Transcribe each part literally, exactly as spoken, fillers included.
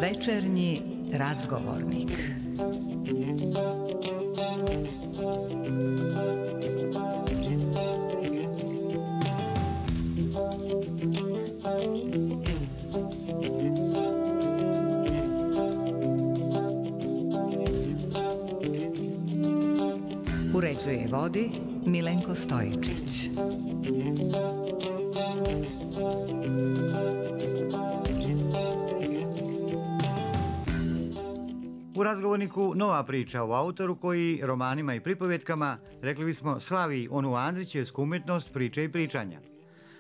Večernji razgovornik. Uređuje i vodi Milenko Stojičić. U razgovorniku nova priča o autoru koji romanima i pripovjetkama, rekli bismo, slavi onu Andrićevsku umjetnost priče i pričanja.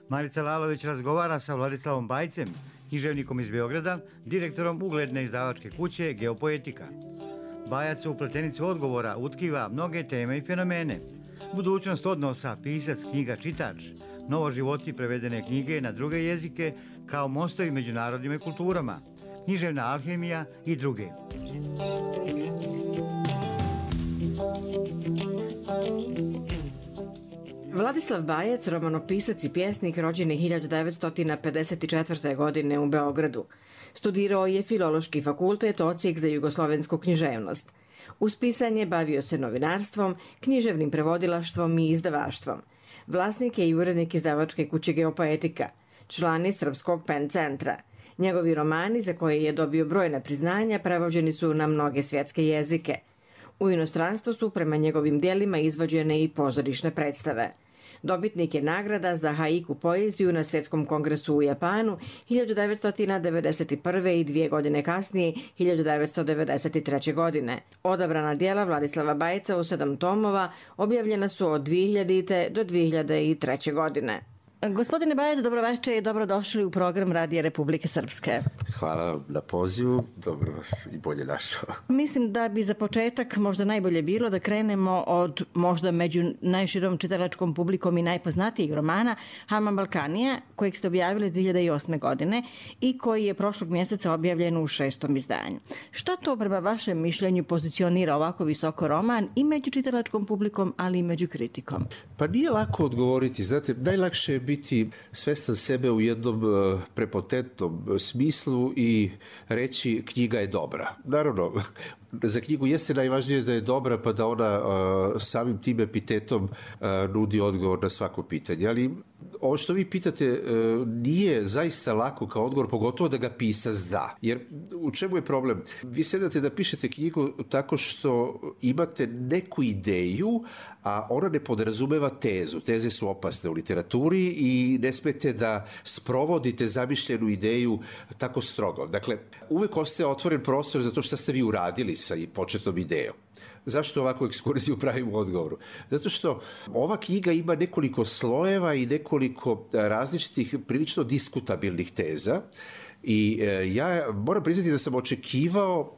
Marica Lalović razgovara sa Vladislavom Bajcem, književnikom iz Beograda, direktorom ugledne izdavačke kuće Geopoetika. Bajac u pletenicu odgovora utkiva mnoge teme i fenomene. Budućnost odnosa, pisac, knjiga, čitač, novo životi prevedene knjige na druge jezike kao mostovi među narodima i kulturama, književna alhemija i druge. Vladislav Bajac, romanopisac i pjesnik, rođen je hiljadu devetsto pedeset četvrte. godine u Beogradu. Studirao je Filološki fakultet, odsjek za jugoslovensku književnost. Uz pisanje bavio se novinarstvom, književnim prevodilaštvom i izdavaštvom. Vlasnik je i urednik izdavačke kuće Geopoetika, član je Srpskog pen centra. Njegovi romani, za koje je dobio brojna priznanja, prevođeni su na mnoge svjetske jezike. U inostranstvu su prema njegovim dijelima izvođene i pozorišne predstave. Dobitnik je nagrada za haiku poeziju na Svjetskom kongresu u Japanu hiljadu devetsto devedeset prve. i dvije godine kasnije hiljadu devetsto devedeset treće. godine. Odabrana dijela Vladislava Bajca u sedam tomova objavljena su od dvije hiljadite. do dvije hiljade treće. godine. Gospodine Bajac, dobroveče i dobrodošli u program Radija Republike Srpske. Hvala na pozivu, dobro vas i bolje našao. Mislim da bi za početak možda najbolje bilo da krenemo od možda među najširom čitalačkom publikom i najpoznatijeg romana Haman Balkanija, kojeg ste objavili dvije hiljade osme. godine i koji je prošlog mjeseca objavljen u šestom izdanju. Šta to prema vašem mišljenju pozicionira ovako visoko roman i među čitalačkom publikom, ali i među kritikom? Pa nije lako odgovoriti, znate, najlakše je biti svestan sebe u jednom prepotentnom smislu i reći knjiga je dobra. Naravno, za knjigu jeste najvažnije da je dobra, pa da ona uh, samim tim epitetom uh, nudi odgovor na svako pitanje. Ali ovo što vi pitate uh, nije zaista lako kao odgovor, pogotovo da ga pisac da. Jer u čemu je problem? Vi sedate da pišete knjigu tako što imate neku ideju, a ona ne podrazumeva tezu. Teze su opasne u literaturi i ne smete da sprovodite zamišljenu ideju tako strogo. Dakle, uvek ostaje otvoren prostor za to što ste vi uradili sa i početnom idejom. Zašto ovakvu ekskurziju pravimo u odgovoru? Zato što ova knjiga ima nekoliko slojeva i nekoliko različitih, prilično diskutabilnih teza i e, ja moram priznati da sam očekivao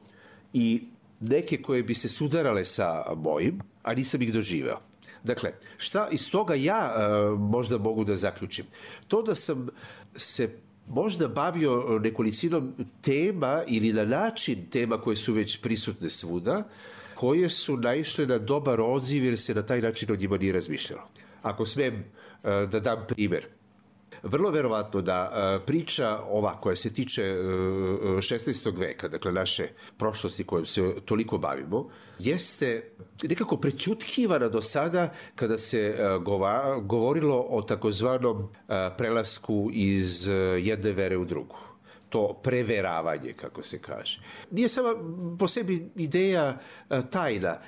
i neke koje bi se sudarale sa mojim, a nisam ih doživeo. Dakle, šta iz toga ja e, možda mogu da zaključim? To da sam se možda bavio nekolicinom tema ili na način tema koje su već prisutne svuda, koje su naišle na dobar odziv jer se na taj način o njima nije razmišljalo. Ako smem da dam primjer. Vrlo verovatno da priča ova koja se tiče šesnaestog veka, dakle naše prošlosti kojom se toliko bavimo, jeste nekako prećutkivana do sada kada se govorilo o takozvanom prelasku iz jedne vere u drugu. To preveravanje, kako se kaže. Nije sama po sebi ideja tajna.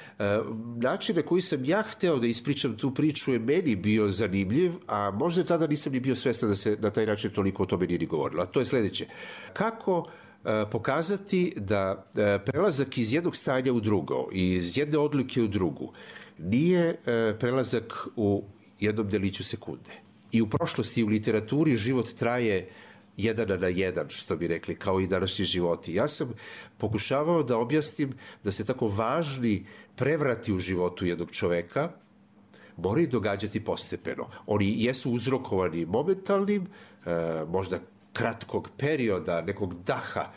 Način na koji sam ja hteo da ispričam tu priču je meni bio zanimljiv, a možda tada nisam ni bio svestan da se na taj način toliko o tome nije ni govorilo. A to je sledeće. Kako pokazati da prelazak iz jednog stanja u drugo, iz jedne odlike u drugu, nije prelazak u jednom deliću sekunde. I u prošlosti, u literaturi život traje jedan na jedan, što bi rekli, kao i današnji životi. Ja sam pokušavao da objasnim da se tako važni prevrati u životu jednog čoveka moraju događati postepeno. Oni jesu uzrokovani momentalnim, možda kratkog perioda, nekog daha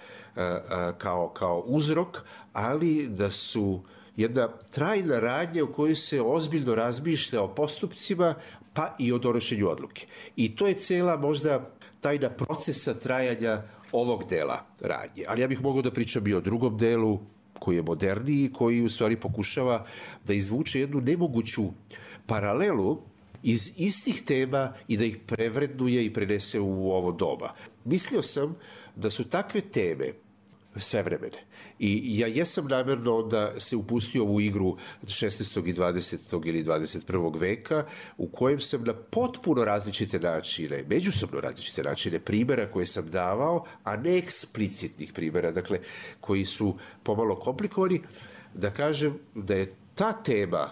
kao, kao uzrok, ali da su jedna trajna radnja u kojoj se ozbiljno razmišlja o postupcima pa i o donošenju odluke. I to je cela možda tajna procesa trajanja ovog dela radnje. Ali ja bih mogao da pričam i o drugom delu koji je moderniji, koji u stvari pokušava da izvuče jednu nemoguću paralelu iz istih tema i da ih prevrednuje i prenese u ovo doba. Mislio sam da su takve teme svevremene. I ja jesam namerno da se upustio u igru šesnaestog i dvadesetog ili dvadeset prvog veka u kojem sam na potpuno različite načine, međusobno različite načine primjera koje sam davao, a ne eksplicitnih primjera, dakle, koji su pomalo komplikovani, da kažem da je ta tema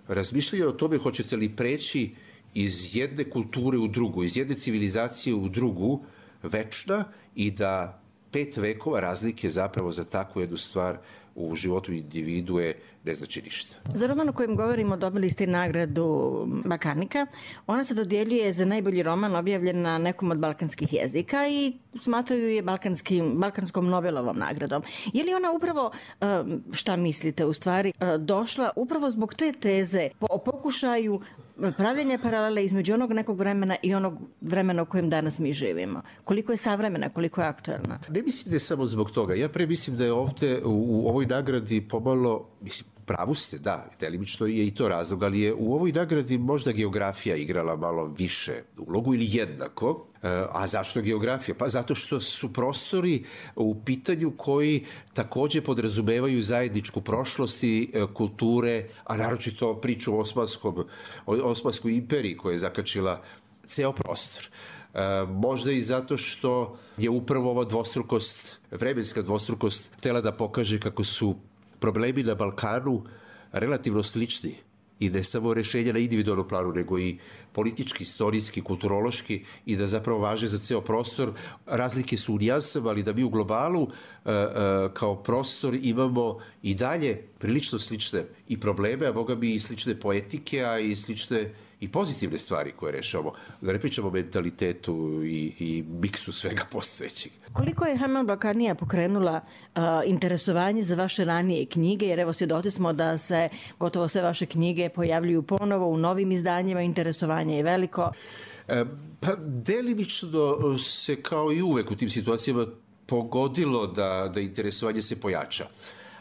razmišljanja o tome hoćete li preći iz jedne kulture u drugu, iz jedne civilizacije u drugu, večna i da pet vekova razlike zapravo za takvu jednu stvar u životu individue ne znači ništa. Za roman o kojem govorimo dobili ste nagradu Balkanika. Ona se dodjeljuje za najbolji roman objavljen na nekom od balkanskih jezika i smatraju je balkanskim, balkanskom Nobelovom nagradom. Je li ona upravo, šta mislite u stvari, došla upravo zbog te teze o pokušaju pravljenja paralele između onog nekog vremena i onog vremena u kojem danas mi živimo? Koliko je savremena, koliko je aktuelna? Ne mislim da je samo zbog toga. Ja pre mislim da je ovde u, u ovoj nagradi pomalo, mislim, pravu ste, da, delimično je i to razlog, ali je u ovoj nagradi možda geografija igrala malo više ulogu ili jednako. A zašto geografija? Pa zato što su prostori u pitanju koji takođe podrazumevaju zajedničku prošlost i kulture, a naročito priču o Osmanskom, o Osmanskoj imperiji koja je zakačila ceo prostor. Možda i zato što je upravo ova dvostrukost, vremenska dvostrukost, htela da pokaže kako su problemi na Balkanu relativno slični i ne samo rešenja na individualnom planu, nego i politički, istorijski, kulturološki i da zapravo važe za ceo prostor. Razlike su u nijansama, ali da mi u globalu kao prostor imamo i dalje prilično slične i probleme, a boga mi i slične poetike, a i slične i pozitivne stvari koje rešavamo. Da ne pričamo o mentalitetu i, i miksu svega postojećeg. Koliko je Roman Balkanija pokrenula uh, interesovanje za vaše ranije knjige, jer evo svjedoci smo da se gotovo sve vaše knjige pojavljuju ponovo u novim izdanjima, interesovanje je veliko. E, pa delimično se kao i uvek u tim situacijama pogodilo da, da interesovanje se pojača.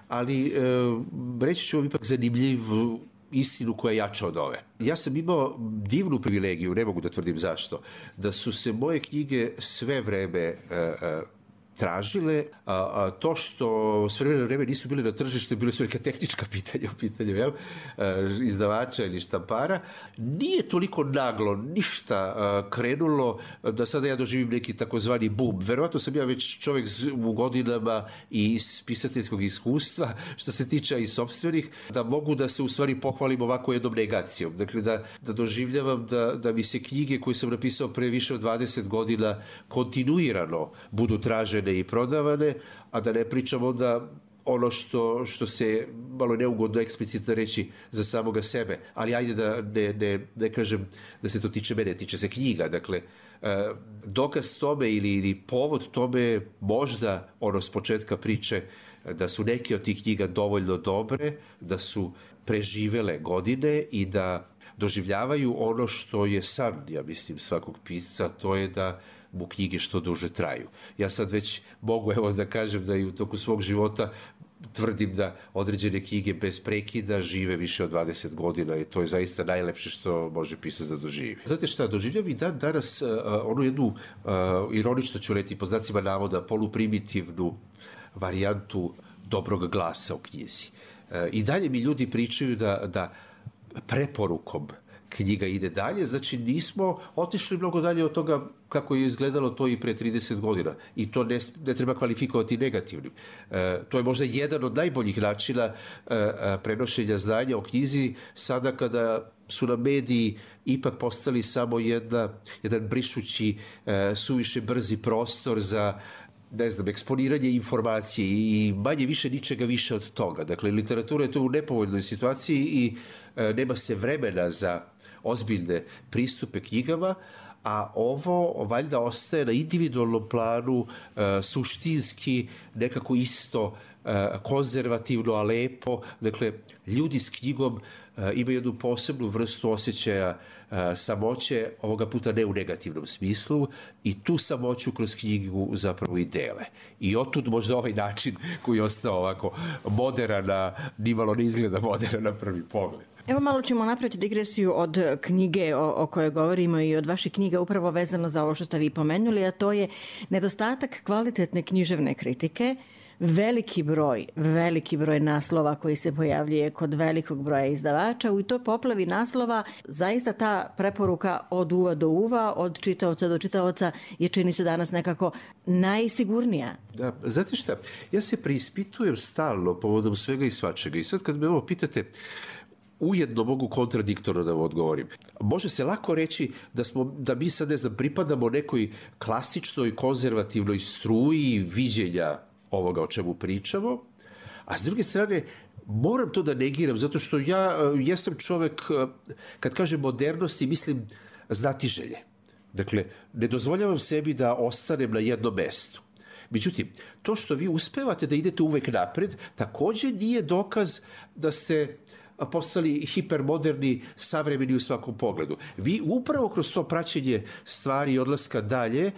Ali e, reći ću vam ipak zanimljiv istinu koja je jača od ove. Ja sam imao divnu privilegiju, ne mogu da tvrdim zašto, da su se moje knjige sve vreme uh, uh, tražile, a, a to što sve vreme, vreme nisu bile na tržištu, bile su neka tehnička pitanja u pitanju, jel? Uh, izdavača ili štampara, nije toliko naglo ništa uh, krenulo da sada ja doživim neki takozvani boom. Verovatno sam ja već čovjek u godinama i iz pisateljskog iskustva, što se tiče i sopstvenih, da mogu da se u stvari pohvalim ovako jednom negacijom. Dakle, da, da doživljavam da, da mi se knjige koje sam napisao pre više od dvadeset godina kontinuirano budu tražene i prodavane, a da ne pričam onda ono što, što se malo neugodno eksplicitno reći za samoga sebe, ali ajde da ne, ne, ne kažem da se to tiče mene, tiče se knjiga. Dakle, dokaz tome ili, ili povod tome možda ono s početka priče da su neke od tih knjiga dovoljno dobre, da su preživele godine i da doživljavaju ono što je san, ja mislim, svakog pisca, to je da mu knjige što duže traju. Ja sad već mogu evo da kažem da i u toku svog života tvrdim da određene knjige bez prekida žive više od dvadeset godina i to je zaista najlepše što može pisac da doživi. Znate šta, doživljam i dan danas uh, onu jednu, uh, ironično ću reći po znacima navoda, poluprimitivnu varijantu dobrog glasa u knjizi. Uh, I dalje mi ljudi pričaju da, da preporukom knjiga ide dalje, znači nismo otišli mnogo dalje od toga kako je izgledalo to i pre trideset godina i to ne, ne treba kvalifikovati negativnim. E, to je možda jedan od najboljih načina e, prenošenja znanja o knjizi sada kada su na mediji ipak postali samo jedna, jedan brišući e, suviše brzi prostor za ne znam, eksponiranje informacije i manje više ničega više od toga. Dakle, literatura je tu u nepovoljnoj situaciji i e, nema se vremena za ozbiljne pristupe knjigama, a ovo valjda ostaje na individualnom planu e, suštinski nekako isto konzervativno, a lepo. Dakle, ljudi s knjigom imaju jednu posebnu vrstu osjećaja samoće, ovoga puta ne u negativnom smislu, i tu samoću kroz knjigu zapravo i dele. I otud možda ovaj način koji je ostao ovako moderan, nimalo ne izgleda moderan na prvi pogled. Evo malo ćemo napraviti digresiju od knjige o, o kojoj govorimo i od vaših knjiga upravo vezano za ovo što ste vi pomenuli, a to je nedostatak kvalitetne književne kritike, veliki broj, veliki broj naslova koji se pojavljuje kod velikog broja izdavača. U toj poplavi naslova zaista ta preporuka od uva do uva, od čitaoca do čitaoca je, čini se, danas nekako najsigurnija. Da, znate šta, ja se preispitujem stalno povodom svega i svačega i sad kad me ovo pitate, ujedno mogu kontradiktorno da vam odgovorim. Može se lako reći da, smo, da mi sad, ne znam, pripadamo nekoj klasičnoj konzervativnoj struji viđenja ovoga o čemu pričamo, a s druge strane moram to da negiram, zato što ja jesam čovek, kad kažem modernosti, mislim znatiželje. Dakle, ne dozvoljavam sebi da ostanem na jednom mestu. Međutim, to što vi uspevate da idete uvek napred, takođe nije dokaz da ste postali hipermoderni, savremeni u svakom pogledu. Vi upravo kroz to praćenje stvari i odlaska dalje e,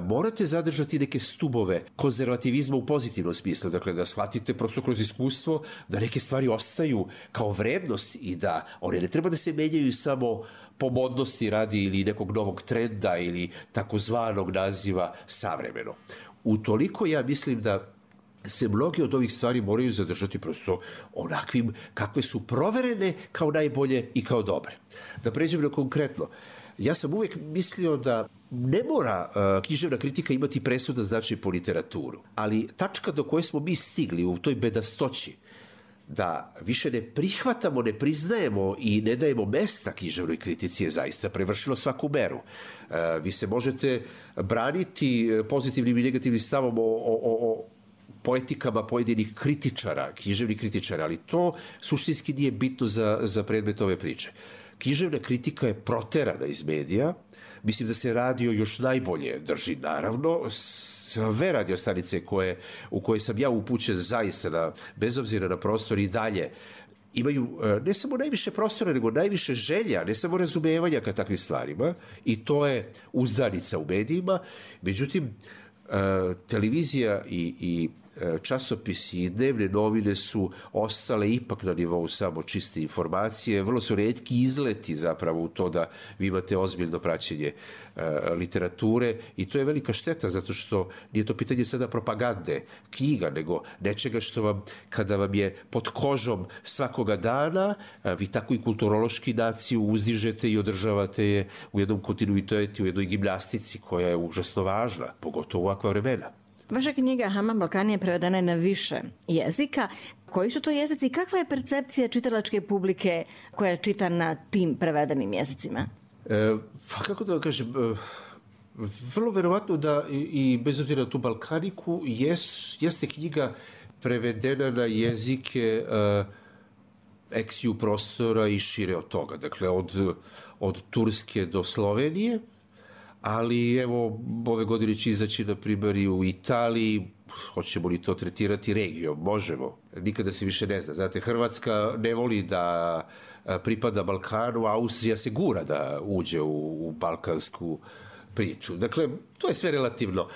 morate zadržati neke stubove konzervativizma u pozitivnom smislu. Dakle, da shvatite prosto kroz iskustvo da neke stvari ostaju kao vrednost i da one ne treba da se menjaju samo po modnosti radi ili nekog novog trenda ili takozvanog naziva savremeno. Utoliko ja mislim da se mnogi od ovih stvari moraju zadržati prosto onakvim kakve su proverene kao najbolje i kao dobre. Da pređem na konkretno. Ja sam uvek mislio da ne mora uh, književna kritika imati presudan značaj po literaturu, ali tačka do koje smo mi stigli u toj bedastoći da više ne prihvatamo, ne priznajemo i ne dajemo mesta književnoj kritici je zaista prevršilo svaku meru. Uh, vi se možete braniti pozitivnim i negativnim stavom o, o, o poetikama pojedinih kritičara, književnih kritičara, ali to suštinski nije bitno za, za predmet ove priče. Književna kritika je proterana iz medija, mislim da se radio još najbolje drži, naravno, sve radio stanice koje, u koje sam ja upućen zaista, na, bez obzira na prostor i dalje, imaju ne samo najviše prostora, nego najviše želja, ne samo razumevanja ka takvim stvarima, i to je uzdanica u medijima. Međutim, televizija i, i časopisi i dnevne novine su ostale ipak na nivou samo čiste informacije. Vrlo su retki izleti zapravo u to da vi imate ozbiljno praćenje e, literature i to je velika šteta zato što nije to pitanje sada propagande knjiga, nego nečega što vam, kada vam je pod kožom svakoga dana, a, vi tako i kulturološki naciju uzdižete i održavate je u jednom kontinuitetu, u jednoj gimnastici koja je užasno važna, pogotovo u ovakva vremena. Vaša knjiga Haman Balkan je prevedena na više jezika. Koji su to jezici i kakva je percepcija čitalačke publike koja čita na tim prevedenim jezicima? E, pa kako da vam kažem, e, vrlo verovatno da i, i bez obzira na tu balkaniku jes, jeste knjiga prevedena na jezike e, eksiju prostora i šire od toga. Dakle, od, od Turske do Slovenije, ali evo, ove godine će izaći na primjer i u Italiji, hoćemo li to tretirati regijom, možemo, nikada se više ne zna. Znate, Hrvatska ne voli da pripada Balkanu, a Austrija se gura da uđe u, u balkansku priču. Dakle, to je sve relativno.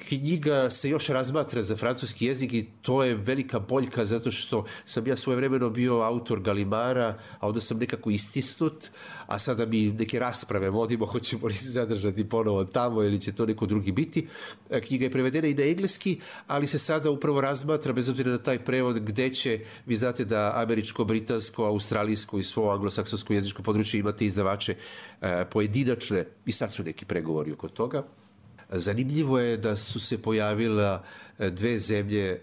Knjiga se još razmatra za francuski jezik i to je velika boljka zato što sam ja svojevremeno bio autor Galimara, a onda sam nekako istisnut, a sada mi neke rasprave vodimo, hoćemo li se zadržati ponovo tamo ili će to neko drugi biti. Knjiga je prevedena i na engleski, ali se sada upravo razmatra, bez obzira na taj prevod, gde će, vi znate da američko, britansko, australijsko i svo anglosaksonsko jezičko područje imate izdavače pojedinačne i sad su neki pregovori oko toga. Zanimljivo je da su se pojavila dve zemlje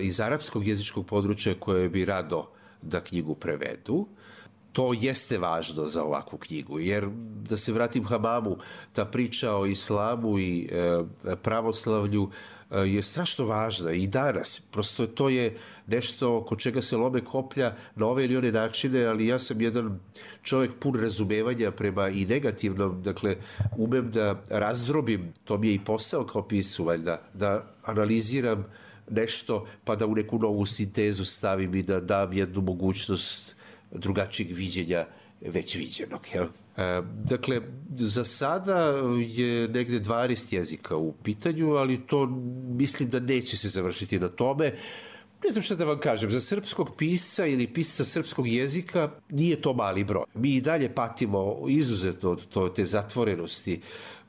iz arapskog jezičkog područja koje bi rado da knjigu prevedu. To jeste važno za ovakvu knjigu, jer da se vratim Hamamu, ta priča o islamu i pravoslavlju je strašno važna i danas. Prosto to je nešto oko čega se lome koplja na ove ili one načine, ali ja sam jedan čovjek pun razumevanja prema i negativnom, dakle umem da razdrobim, to mi je i posao kao pisu, valjda, da analiziram nešto, pa da u neku novu sintezu stavim i da dam jednu mogućnost drugačijeg viđenja već viđenog. Jel? E, dakle, za sada je negde dvanaest jezika u pitanju, ali to mislim da neće se završiti na tome. Ne znam šta da vam kažem, za srpskog pisca ili pisca srpskog jezika nije to mali broj. Mi i dalje patimo izuzetno od to, te zatvorenosti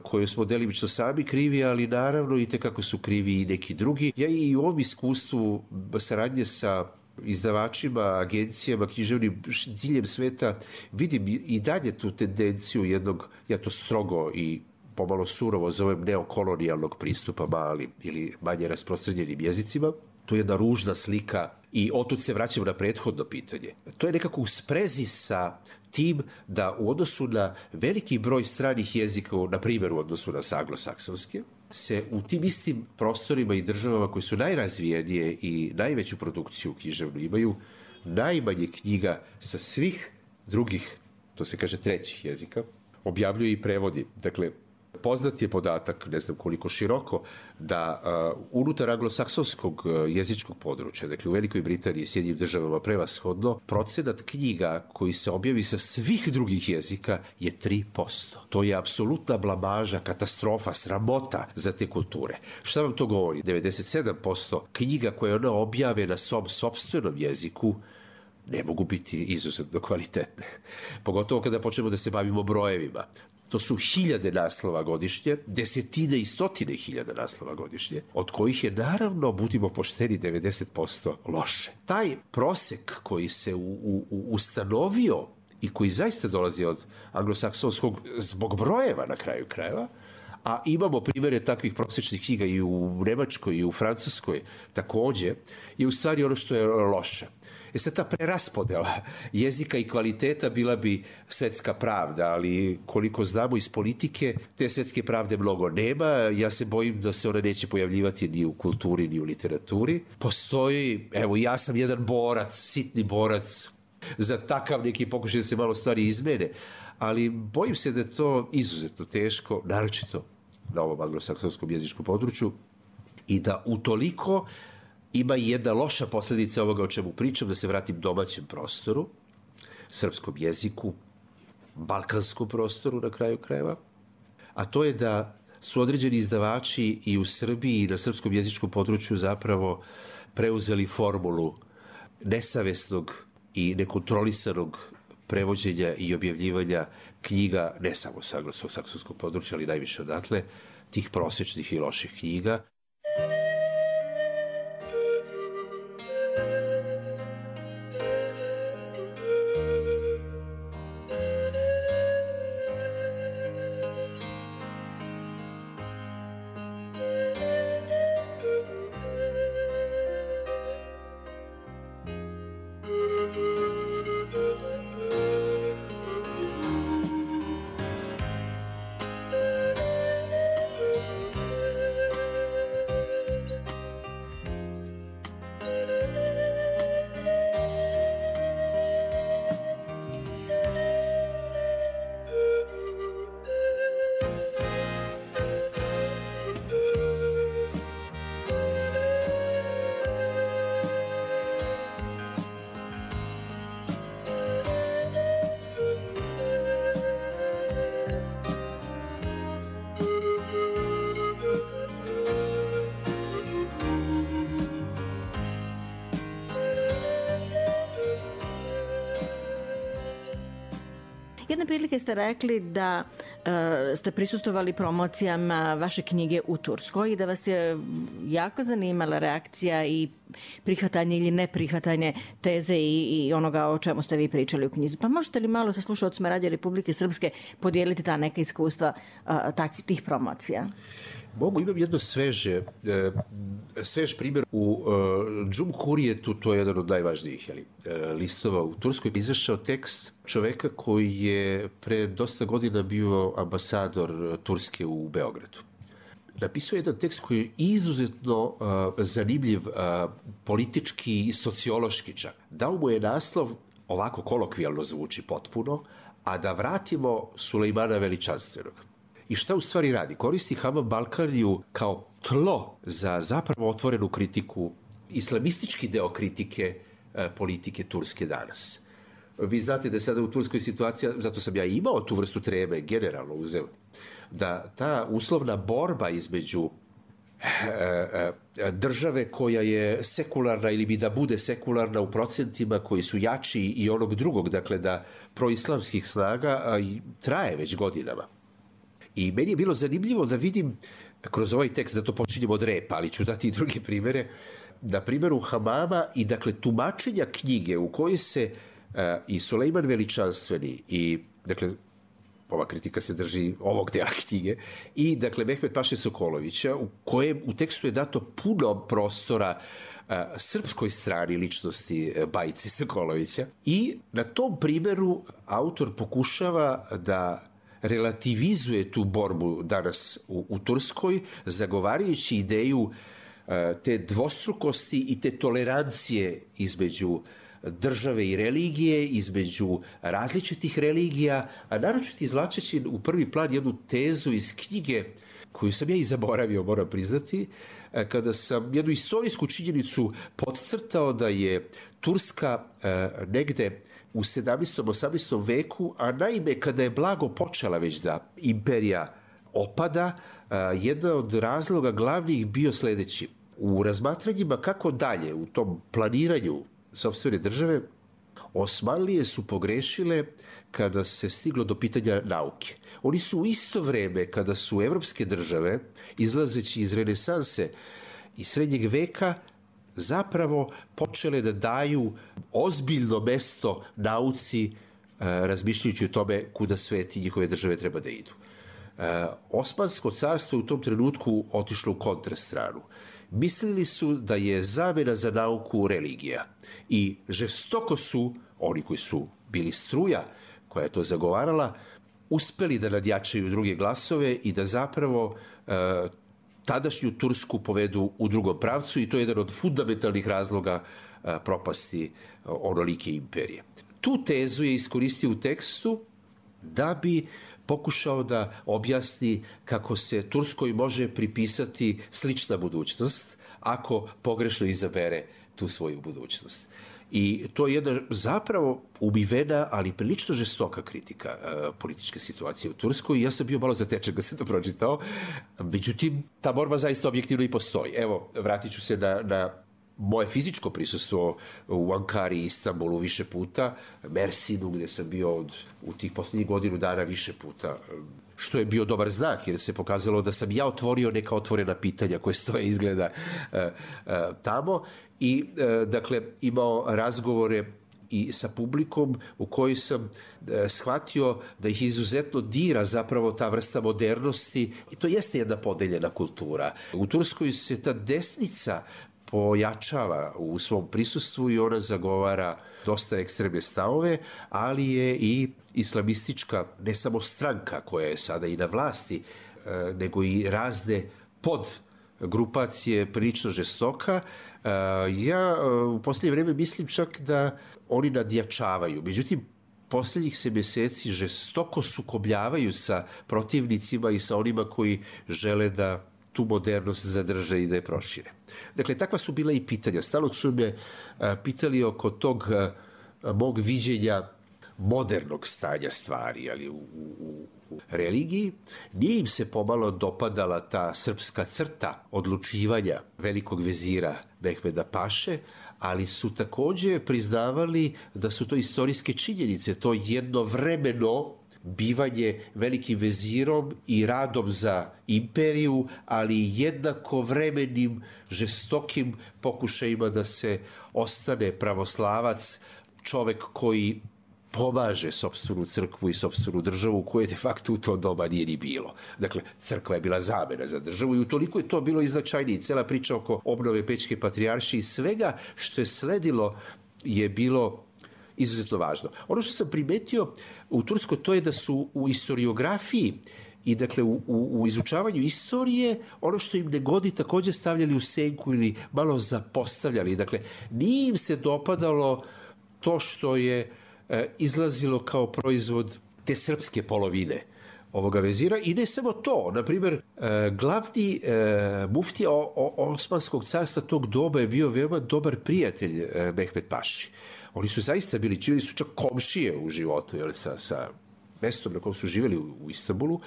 koju smo delimično sami krivi, ali naravno i tekako su krivi i neki drugi. Ja i u ovom iskustvu saradnje sa izdavačima, agencijama, književnim diljem sveta vidim i dalje tu tendenciju jednog, ja to strogo i pomalo surovo zovem neokolonijalnog pristupa mali ili manje rasprostranjenim jezicima. To je jedna ružna slika i otud se vraćamo na prethodno pitanje. To je nekako u sprezi sa tim da u odnosu na veliki broj stranih jezika, na primjer u odnosu na anglosaksonske, se u tim istim prostorima i državama koji su najrazvijenije i najveću produkciju književnu imaju najmanje knjiga sa svih drugih, to se kaže trećih jezika, objavljuje i prevodi. Dakle, poznat je podatak, ne znam koliko široko, da uh, unutar anglosaksonskog uh, jezičkog područja, dakle u Velikoj Britaniji i Sjedinjenim državama prevashodno, procenat knjiga koji se objavi sa svih drugih jezika je tri posto. To je apsolutna blamaža, katastrofa, sramota za te kulture. Šta vam to govori? devedeset sedam posto knjiga koje ona objave na svom sopstvenom jeziku ne mogu biti izuzetno kvalitetne. Pogotovo kada počnemo da se bavimo brojevima. To su hiljade naslova godišnje, desetine i stotine hiljada naslova godišnje, od kojih je naravno, budimo pošteni, devedeset posto loše. Taj prosek koji se u, u, ustanovio i koji zaista dolazi od anglosaksonskog zbog brojeva na kraju krajeva, a imamo primere takvih prosečnih knjiga i u Nemačkoj i u Francuskoj takođe, je u stvari ono što je loše. E sad ta preraspodela jezika i kvaliteta bila bi svetska pravda, ali koliko znamo iz politike, te svetske pravde mnogo nema. Ja se bojim da se ona neće pojavljivati ni u kulturi, ni u literaturi. Postoji, evo ja sam jedan borac, sitni borac za takav neki pokušaj da se malo stvari izmene, ali bojim se da je to izuzetno teško, naročito na ovom anglosaksonskom jezičkom području, i da utoliko ima i jedna loša posledica ovoga o čemu pričam, da se vratim domaćem prostoru, srpskom jeziku, balkanskom prostoru na kraju krajeva, a to je da su određeni izdavači i u Srbiji i na srpskom jezičkom području zapravo preuzeli formulu nesavesnog i nekontrolisanog prevođenja i objavljivanja knjiga, ne samo sa anglosaksonskog područja, ali najviše odatle, tih prosečnih i loših knjiga. Jedne prilike ste rekli da uh, ste prisustvovali promocijama vaše knjige u Turskoj i da vas je jako zanimala reakcija i prihvatanje ili neprihvatanje teze i, i onoga o čemu ste vi pričali u knjizi. Pa možete li malo sa slušalcima Radio Republike Srpske podijeliti ta neka iskustva uh, takvih tih promocija? Mogu, imam jedno sveže, svež primjer u Cumhuriyetu, to je jedan od najvažnijih jeli, listova u Turskoj. Izašao tekst čoveka koji je pre dosta godina bio ambasador Turske u Beogradu. Napisao je jedan tekst koji je izuzetno uh, zanimljiv, uh, politički i sociološki čak. Dao mu je naslov, ovako kolokvijalno zvuči potpuno, a da vratimo Sulejmana Veličanstvenog. I šta u stvari radi? Koristi Hamam Balkaniju kao tlo za zapravo otvorenu kritiku, islamistički deo kritike e, politike Turske danas. Vi znate da je sada u Turskoj situacija, zato sam ja imao tu vrstu treme, generalno uzeo, da ta uslovna borba između države koja je sekularna ili bi da bude sekularna u procentima koji su jači i onog drugog, dakle da proislamskih snaga traje već godinama. I meni je bilo zanimljivo da vidim kroz ovaj tekst, da to počinjemo od repa, ali ću dati i druge primere, na primjeru Hamama i dakle tumačenja knjige u kojoj se uh, i Sulejman Veličanstveni i dakle ova kritika se drži ovog dela knjige, i dakle Mehmet Paše Sokolovića, u kojem u tekstu je dato puno prostora a, srpskoj strani ličnosti Bajice Sokolovića, i na tom primjeru autor pokušava da relativizuje tu borbu danas u, u Turskoj, zagovarajući ideju a, te dvostrukosti i te tolerancije između države i religije, između različitih religija, a naročito izvlačeći u prvi plan jednu tezu iz knjige koju sam ja i zaboravio, moram priznati, kada sam jednu istorijsku činjenicu podcrtao da je Turska negde u sedamnaestom osamnaestom veku, a naime kada je blago počela već da imperija opada, jedan od razloga glavnih bio sledeći. U razmatranjima kako dalje u tom planiranju sopstvene države, Osmanlije su pogrešile kada se stiglo do pitanja nauke. Oni su u isto vreme kada su evropske države, izlazeći iz renesanse i srednjeg veka, zapravo počele da daju ozbiljno mesto nauci, razmišljajući o tome kuda svet i njihove države treba da idu. Osmansko carstvo u tom trenutku otišlo u kontrastranu. Mislili su da je zamena za nauku religija i žestoko su, oni koji su bili struja koja je to zagovarala, uspeli da nadjačaju druge glasove i da zapravo e, tadašnju Tursku povedu u drugom pravcu, i to je jedan od fundamentalnih razloga e, propasti onolike imperije. Tu tezu je iskoristio u tekstu da bi pokušao da objasni kako se Turskoj može pripisati slična budućnost ako pogrešno izabere tu svoju budućnost. I to je jedna zapravo umivena, ali prilično žestoka kritika uh, političke situacije u Turskoj. Ja sam bio malo zatečen kad sam to pročitao. Međutim, ta borba zaista objektivno i postoji. Evo, vratit ću se na, na moje fizičko prisustvo u Ankari i Istanbulu više puta, Mersinu gdje sam bio od, u tih posljednjih godinu dana više puta, što je bio dobar znak jer se pokazalo da sam ja otvorio neka otvorena pitanja koje stoje izgleda uh, uh, tamo, i uh, dakle imao razgovore i sa publikom u kojoj sam uh, shvatio da ih izuzetno dira zapravo ta vrsta modernosti, i to jeste jedna podeljena kultura. U Turskoj se ta desnica pojačava u svom prisustvu i ona zagovara dosta ekstremne stavove, ali je i islamistička, ne samo stranka koja je sada i na vlasti, nego i razne pod grupacije prilično žestoka. Ja u posljednje vreme mislim čak da oni nadjačavaju. Međutim, posljednjih se mjeseci žestoko sukobljavaju sa protivnicima i sa onima koji žele da tu modernost zadrže i da je prošire. Dakle, takva su bila i pitanja. Stalno su me a, pitali oko tog a, mog viđenja modernog stanja stvari, ali u, u, u religiji. Nije im se pomalo dopadala ta srpska crta odlučivanja velikog vezira Mehmeda Paše, ali su također priznavali da su to istorijske činjenice, to jednovremeno bivanje velikim vezirom i radom za imperiju, ali jednako vremenim žestokim pokušajima da se ostane pravoslavac, čovek koji pomaže sopstvenu crkvu i sopstvenu državu, koje de facto u to doba nije ni bilo. Dakle, crkva je bila zamena za državu i utoliko je to bilo i značajnije. Cela priča oko obnove Pećke patrijaršije i svega što je sledilo je bilo izuzetno važno. Ono što sam primetio u Turskoj, to je da su u historiografiji i dakle u, u, u izučavanju istorije ono što im ne godi također stavljali u senku ili malo zapostavljali. Dakle, nije im se dopadalo to što je e, izlazilo kao proizvod te srpske polovine ovoga vezira i ne samo to. Naprimjer, glavni muftija Osmanskog carstva tog doba je bio veoma dobar prijatelj Mehmed Paši. Oni su zaista bili, čili su čak komšije u životu, jel, sa, sa mestom na kojem su živjeli u, u Istanbulu.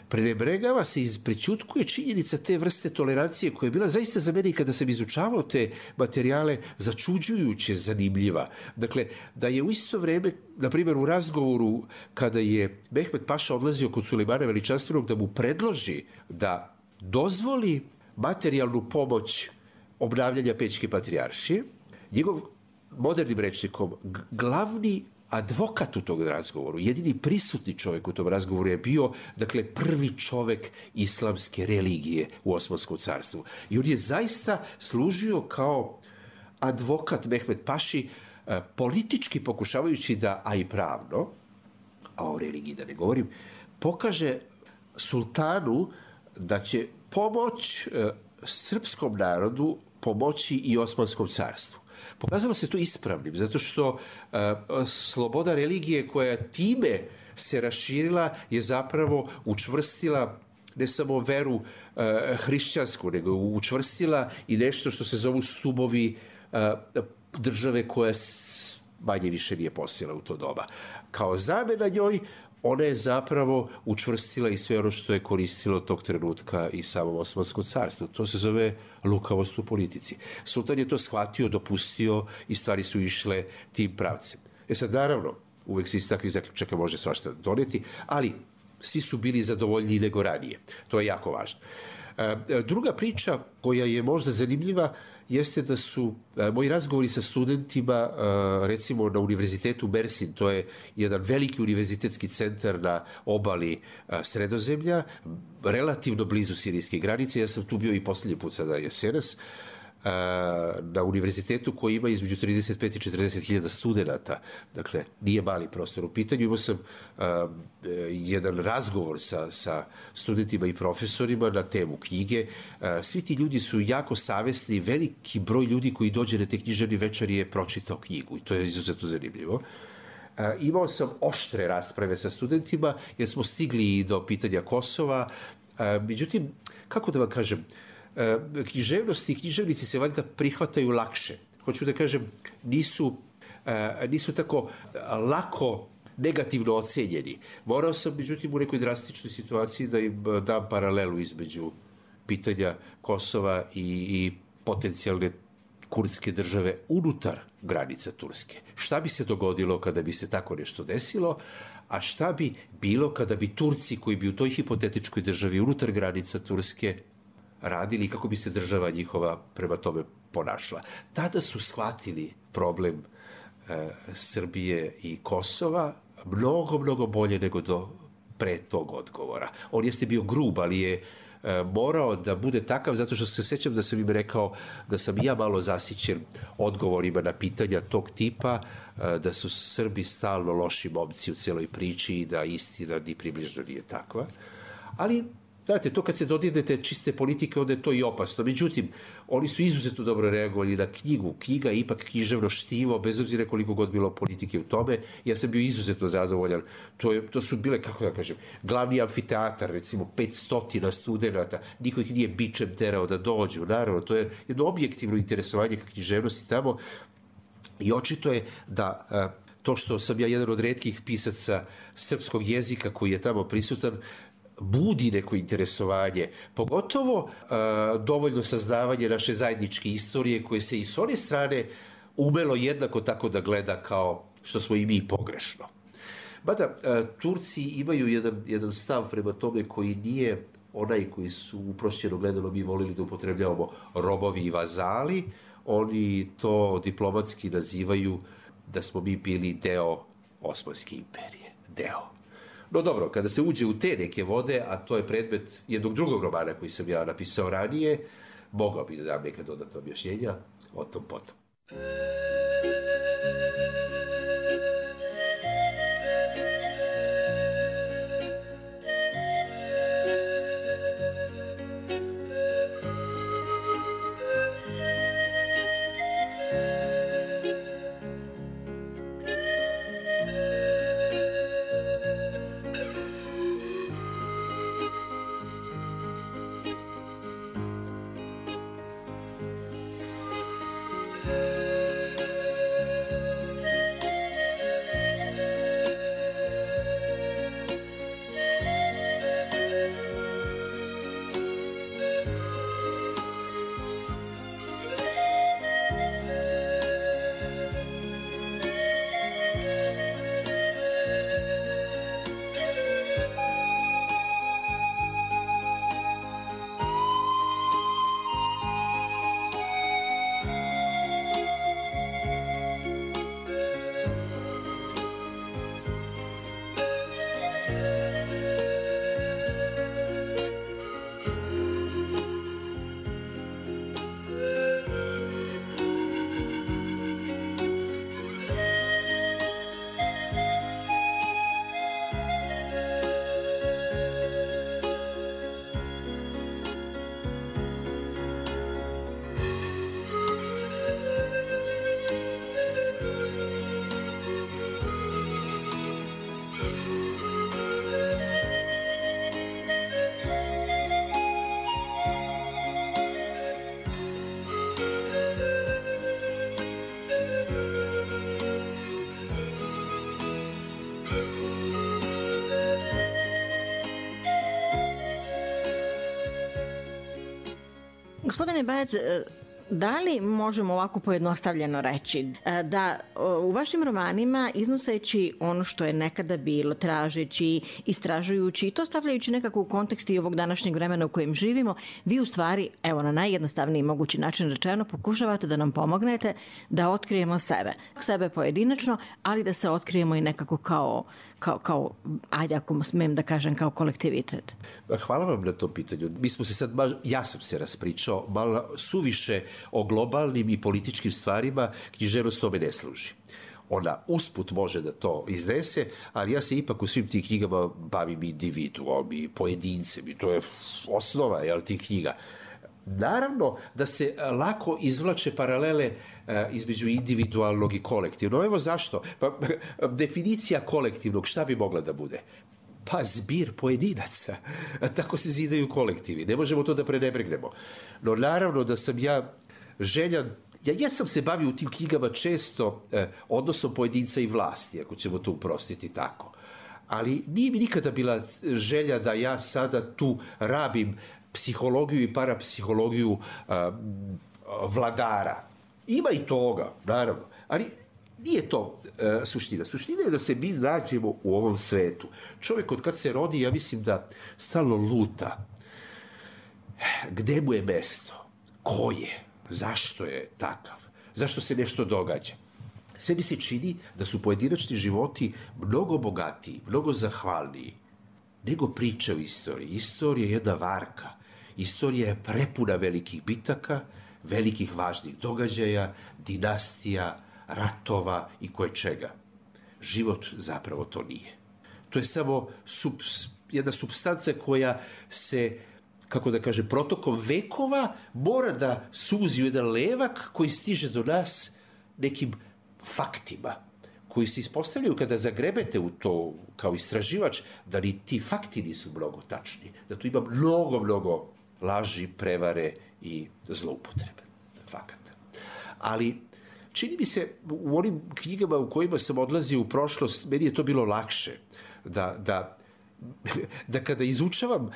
Prenebregava se i prećutkuje činjenica te vrste tolerancije koja je bila zaista za mene, kada sam izučavao te materijale, začuđujuće zanimljiva. Dakle, da je u isto vreme, na primjer u razgovoru kada je Mehmed Paša odlazio kod Sulejmana Veličanstvenog da mu predloži da dozvoli materijalnu pomoć obnavljanja Pećke patrijaršije, njegov modernim rečnikom glavni advokat u tog razgovoru, jedini prisutni čovjek u tom razgovoru je bio, dakle, prvi čovjek islamske religije u Osmanskom carstvu. I on je zaista služio kao advokat Mehmed Paši, politički pokušavajući da, a i pravno, a o religiji da ne govorim, pokaže sultanu da će pomoć srpskom narodu pomoći i Osmanskom carstvu. Pokazalo se to ispravnim, zato što uh, sloboda religije koja time se raširila je zapravo učvrstila ne samo veru uh, hrišćansku, nego učvrstila i nešto što se zovu stubovi uh, države koja manje više nije postojala u to doba. Kao zamena njoj, ona je zapravo učvrstila i sve ono što je koristilo tog trenutka i samom Osmanskom carstvu. To se zove lukavost u politici. Sultan je to shvatio, dopustio i stvari su išle tim pravcem. E sad, naravno, uvek se iz takvih zaključaka može svašta doneti, ali svi su bili zadovoljniji nego ranije. To je jako važno. Druga priča koja je možda zanimljiva jeste da su moji razgovori sa studentima, recimo na univerzitetu Mersin, to je jedan veliki univerzitetski centar na obali Sredozemlja, relativno blizu sirijske granice. Ja sam tu bio i posljednji put sada jesenas, na univerzitetu koji ima između trideset pet i četrdeset hiljada studenta, dakle nije mali prostor u pitanju. Imao sam uh, jedan razgovor sa, sa studentima i profesorima na temu knjige. Uh, svi ti ljudi su jako savesni, veliki broj ljudi koji dođe na te književne večeri je pročitao knjigu i to je izuzetno zanimljivo. Uh, imao sam oštre rasprave sa studentima jer smo stigli i do pitanja Kosova. Uh, međutim, kako da vam kažem, književnosti i književnici se valjda prihvataju lakše. Hoću da kažem, nisu, nisu tako lako negativno ocenjeni. Morao sam, međutim, u nekoj drastičnoj situaciji da im dam paralelu između pitanja Kosova i, i potencijalne kurdske države unutar granica Turske. Šta bi se dogodilo kada bi se tako nešto desilo, a šta bi bilo kada bi Turci koji bi u toj hipotetičkoj državi unutar granica Turske radili i kako bi se država njihova prema tome ponašala. Tada su shvatili problem e, Srbije i Kosova mnogo, mnogo bolje nego do pre tog odgovora. On jeste bio grub, ali je e, morao da bude takav, zato što se sećam da sam im rekao da sam ja malo zasićen odgovorima na pitanja tog tipa, e, da su Srbi stalno loši momci u celoj priči i da istina ni približno nije takva. Ali znate, to kad se dodirnete čiste politike, onda je to i opasno. Međutim, oni su izuzetno dobro reagovali na knjigu. Knjiga je ipak književno štivo, bez obzira koliko god bilo politike u tome. Ja sam bio izuzetno zadovoljan. To, je, to su bile, kako da kažem, glavni amfiteatar, recimo petsto studenta. Niko ih nije bičem terao da dođu. Naravno, to je jedno objektivno interesovanje ka književnosti tamo. I očito je da to što sam ja jedan od retkih pisaca srpskog jezika koji je tamo prisutan, budi neko interesovanje, pogotovo uh, dovoljno saznavanje naše zajedničke istorije koje se i s one strane umelo jednako tako da gleda kao što smo i mi pogrešno. Mada uh, Turci imaju jedan, jedan stav prema tome koji nije onaj koji su uprošćeno gledano mi volili da upotrebljavamo robovi i vazali. Oni to diplomatski nazivaju da smo mi bili deo Osmanske imperije. Deo. No dobro, kada se uđe u te neke vode, a to je predmet jednog drugog romana koji sam ja napisao ranije, mogao bi da dam neka dodatna objašnjenja, o tom potom. Gospodine Bajac, da li možemo ovako pojednostavljeno reći da u vašim romanima, iznoseći ono što je nekada bilo, tražeći, istražujući i to stavljajući nekako u kontekst i ovog današnjeg vremena u kojem živimo, vi u stvari, evo na najjednostavniji mogući način rečeno, pokušavate da nam pomognete da otkrijemo sebe. Sebe pojedinačno, ali da se otkrijemo i nekako kao, kao, kao ajde ako smem da kažem, kao kolektivitet. Hvala vam na to pitanju. Mi smo se sad, ja sam se raspričao malo suviše o globalnim i političkim stvarima, književnost tome ne služi. Ona usput može da to iznese, ali ja se ipak u svim tih knjigama bavim individuom i pojedincem i to je osnova, jel, tih knjiga. Naravno da se lako izvlače paralele između individualnog i kolektivnog. Evo zašto? Pa, definicija kolektivnog šta bi mogla da bude? Pa zbir pojedinaca. Tako se zidaju kolektivi. Ne možemo to da prenebregnemo. No naravno da sam ja željan, ja jesam se bavio u tim knjigama često eh, odnosom pojedinca i vlasti, ako ćemo to uprostiti tako. Ali nije mi nikada bila želja da ja sada tu rabim psihologiju i parapsihologiju eh, vladara. Ima i toga, naravno, ali nije to e, suština. Suština je da se mi nađemo u ovom svetu. Čovjek od kad se rodi, ja mislim da stalno luta. Gde mu je mesto? Ko je? Zašto je takav? Zašto se nešto događa? Sve mi se čini da su pojedinačni životi mnogo bogatiji, mnogo zahvalniji nego priče o istoriji. Istorija je jedna varka. Istorija je prepuna velikih bitaka, velikih važnih događaja, dinastija, ratova i koje čega. Život zapravo to nije. To je samo sub, jedna supstanca koja se, kako da kaže, protokom vekova mora da suzi u jedan levak koji stiže do nas nekim faktima koji se ispostavljaju kada zagrebete u to kao istraživač, da ni ti fakti nisu mnogo tačni, da tu ima mnogo, mnogo laži, prevare i zloupotrebe fakata. Ali čini mi se u onim knjigama u kojima sam odlazio u prošlost, meni je to bilo lakše da, da, da kada izučavam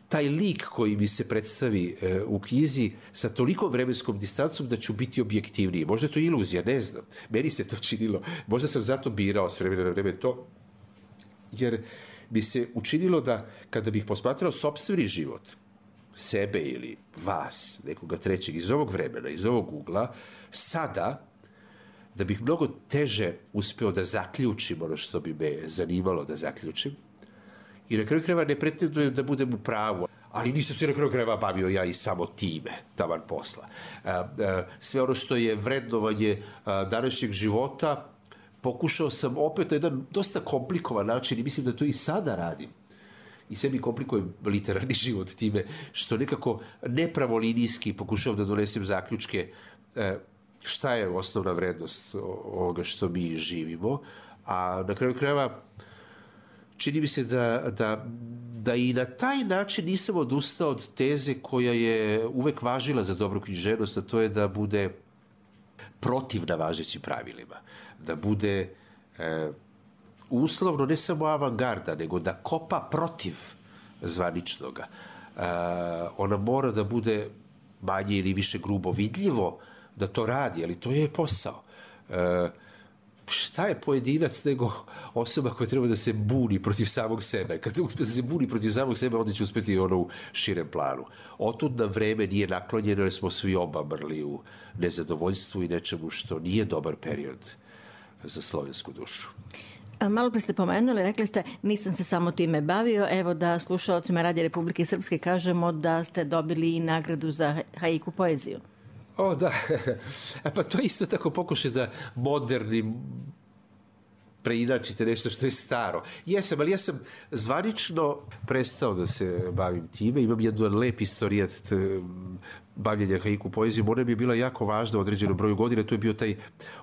taj lik koji mi se predstavi e, u knjizi sa toliko vremenskom distancom da ću biti objektivniji. Možda je to iluzija, ne znam. Meni se to činilo. Možda sam zato birao s vremena na vreme to, jer bi se učinilo da kada bih posmatrao sopstveni život, sebe ili vas, nekoga trećeg iz ovog vremena, iz ovog ugla, sada, da bih mnogo teže uspeo da zaključim ono što bi me zanimalo da zaključim. I na kraju krajeva ne pretendujem da budem u pravu, ali nisam se na kraju krajeva bavio ja i samo time, taman posla. Sve ono što je vrednovanje današnjeg života, pokušao sam opet na jedan dosta komplikovan način i mislim da to i sada radim. I sebi komplikujem literarni život time što nekako nepravolinijski pokušavam da donesem zaključke šta je osnovna vrednost ovoga što mi živimo, a na kraju krajeva čini mi se da, da, da i na taj način nisam odustao od teze koja je uvek važila za dobru književnost, a to je da bude protivna važećim pravilima, da bude e, uslovno ne samo avangarda, nego da kopa protiv zvaničnoga. E, ona mora da bude manje ili više grubo vidljivo da to radi, ali to je posao. E, šta je pojedinac nego osoba koja treba da se buni protiv samog sebe? Kad uspe da se buni protiv samog sebe, onda će uspeti ono u širem planu. Otud nam vreme nije naklonjeno jer smo svi obamrli u nezadovoljstvu i nečemu što nije dobar period za slovensku dušu. Malo pre ste pomenuli, rekli ste nisam se samo time bavio, evo da slušalcima Radija Republike Srpske kažemo da ste dobili i nagradu za haiku poeziju. O, da. Pa to isto tako pokušaj da modernim preinačite nešto što je staro. Jesam, ali ja sam zvanično prestao da se bavim time. Imam jedan lep istorijat bavljenja haiku poezijom. Ona mi je bila jako važna u određenom broju godina. To je bio taj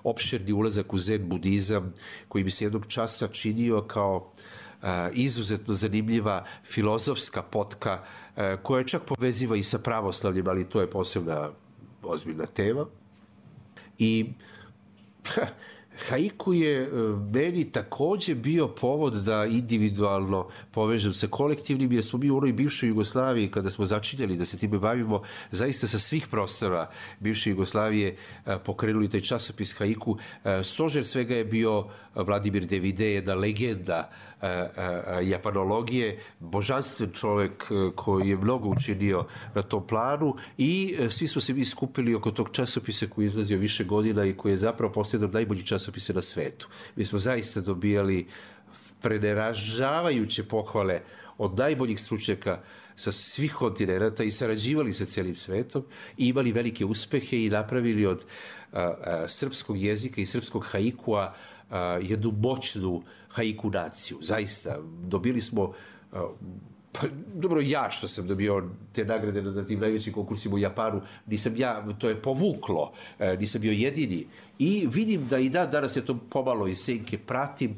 opširni ulazak u zen budizam koji mi se jednog časa činio kao a, izuzetno zanimljiva filozofska potka a, koja čak poveziva i sa pravoslavljem, ali to je posebna ozbiljna tema. I haiku je meni takođe bio povod da individualno povežem sa kolektivnim, jer smo mi u onoj bivšoj Jugoslaviji, kada smo začinjali da se time bavimo, zaista sa svih prostora bivše Jugoslavije pokrenuli taj časopis haiku. Stožer svega je bio Vladimir Devide, jedna legenda japanologije, božanstven čovek koji je mnogo učinio na tom planu i svi smo se mi skupili oko tog časopisa koji je izlazio više godina i koji je zapravo postao najbolji časopise na svetu. Mi smo zaista dobijali preneražavajuće pohvale od najboljih stručnjaka sa svih kontinenta i sarađivali sa celim svetom i imali velike uspehe i napravili od a, a, srpskog jezika i srpskog haikua a, jednu moćnu haiku naciju. Zaista, dobili smo, a, pa, dobro, ja što sam dobio te nagrade na tim najvećim konkursima u Japanu, nisam ja, to je povuklo, a, nisam bio jedini. I vidim da i dan danas je to pomalo iz senke pratim,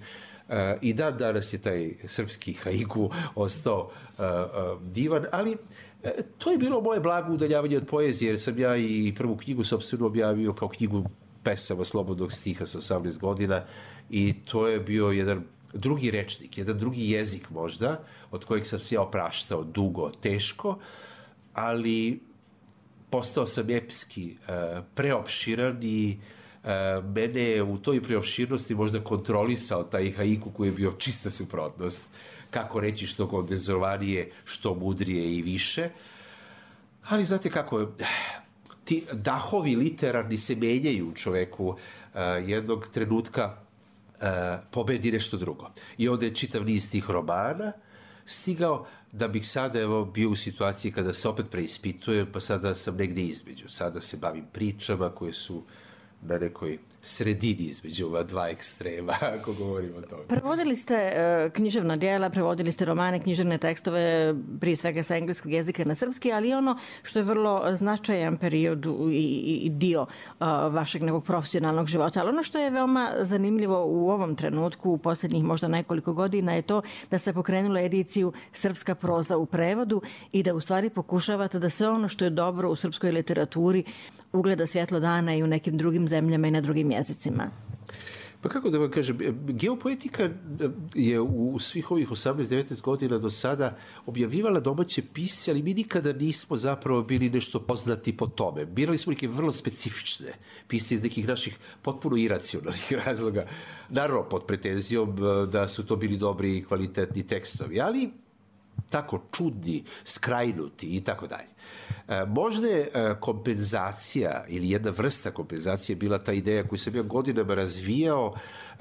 Uh, i dan danas je taj srpski haiku ostao uh, uh, divan, ali uh, to je bilo moje blago udaljavanje od poezije, jer sam ja i prvu knjigu sopstveno objavio kao knjigu pesama slobodnog stiha sa osamnaest godina i to je bio jedan drugi rečnik, jedan drugi jezik možda, od kojeg sam se ja opraštao dugo, teško, ali postao sam epski, uh, preopširan i Uh, mene je u toj preopširnosti možda kontrolisao taj haiku koji je bio čista suprotnost. Kako reći što kondenzovanije, što mudrije i više. Ali znate kako, ti dahovi literarni se menjaju u čoveku. Uh, jednog trenutka uh, pobedi nešto drugo. I onda je čitav niz tih romana stigao da bih sada evo, bio u situaciji kada se opet preispitujem, pa sada sam negde između. Sada se bavim pričama koje su na nekoj sredini između ova dva ekstrema, ako govorimo o tome. Prevodili ste uh, književna dijela, prevodili ste romane, književne tekstove, prije svega sa engleskog jezika na srpski, ali ono što je vrlo značajan period i, i dio uh, vašeg nekog profesionalnog života. Ali ono što je veoma zanimljivo u ovom trenutku, u posljednjih možda nekoliko godina, je to da ste pokrenuli ediciju Srpska proza u prevodu i da u stvari pokušavate da sve ono što je dobro u srpskoj literaturi ugleda svjetlo dana i u nekim drugim zemljama i na drugim jezicima. Pa kako da vam kažem, geopoetika je u svih ovih osamnaest devetnaest godina do sada objavljivala domaće pisce, ali mi nikada nismo zapravo bili nešto poznati po tome. Birali smo neke vrlo specifične pisce iz nekih naših potpuno iracionalnih razloga. Naravno, pod pretenzijom da su to bili dobri i kvalitetni tekstovi, ali tako čudni, skrajnuti i tako dalje. Možda je kompenzacija ili jedna vrsta kompenzacije bila ta ideja koju sam ja godinama razvijao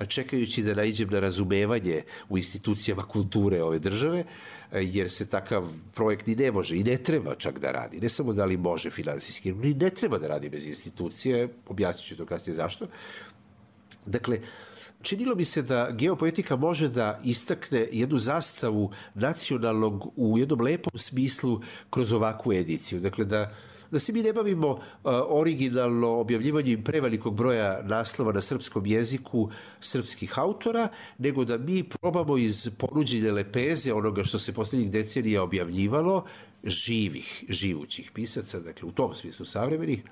čekajući da naiđem na razumevanje u institucijama kulture ove države, jer se takav projekt ni ne može i ne treba čak da radi. Ne samo da li može finansijski, ni ne treba da radi bez institucije, objasnit ću to kasnije zašto. Dakle, činilo mi se da geopoetika može da istakne jednu zastavu nacionalnog u jednom lepom smislu kroz ovakvu ediciju. Dakle, da, da se mi ne bavimo uh, originalno objavljivanjem prevelikog broja naslova na srpskom jeziku srpskih autora, nego da mi probamo iz ponuđene lepeze onoga što se poslednjih decenija objavljivalo, živih, živućih pisaca, dakle u tom smislu savremenih,